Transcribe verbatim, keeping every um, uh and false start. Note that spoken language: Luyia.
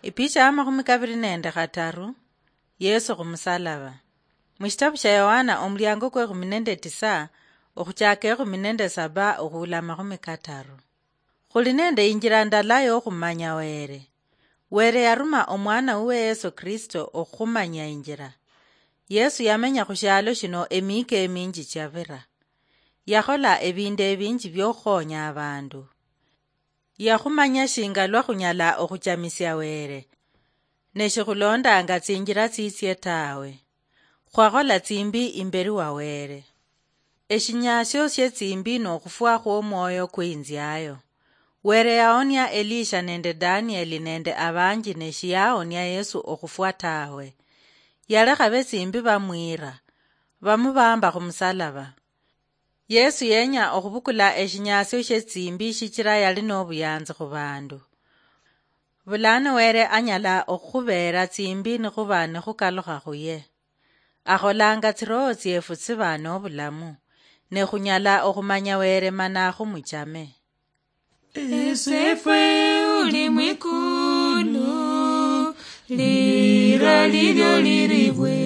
Ipicha ya makhumi kabiri nende khataru. Yesu khumusalaba. Mushitabu shia Yohana omuliango kwe khumi nende tisa, okhuchaka ekhumi nende saba okhuula amakhumi kataru. Khuli nende injira ndala yokhumanya Were. Were yaruma omwana wuwe Yesu Kristo okhumanya injira. Yesu yamenya khushialo shino emika eminji chiavira. Yakhola ebindu ebinji biokhukhonya abandu. Yakhumanya shinga lwa khunyala okhuchamisia Were, ne shikhulondanga tsinjira tsitsie tawe. Khwakhola tsimbi imberi wa Were. Eshinyasio shie tsimbi nokhufwa khwomwoyo kweinziayo. Were yaonia Elisha nende Danieli nende abanji ne shiyaonia Yesu okhufwa tawe. Yalekha betsimbi bamwira, bamubamba khumusalaba. Yesu yenya okhubukula eshinyasio shie tsimbi shichira yali nobuyanzi khubandu. Bulano Were anyala okhubeera tsimbi nikhuba nikhukalukha khuye. Akholanga tsiroho tsiefu tsiba nobulamu, ne khunyala okhumanya Were mana khumuchame. Esefwe uli mwikulu, lira lilyo liribwe.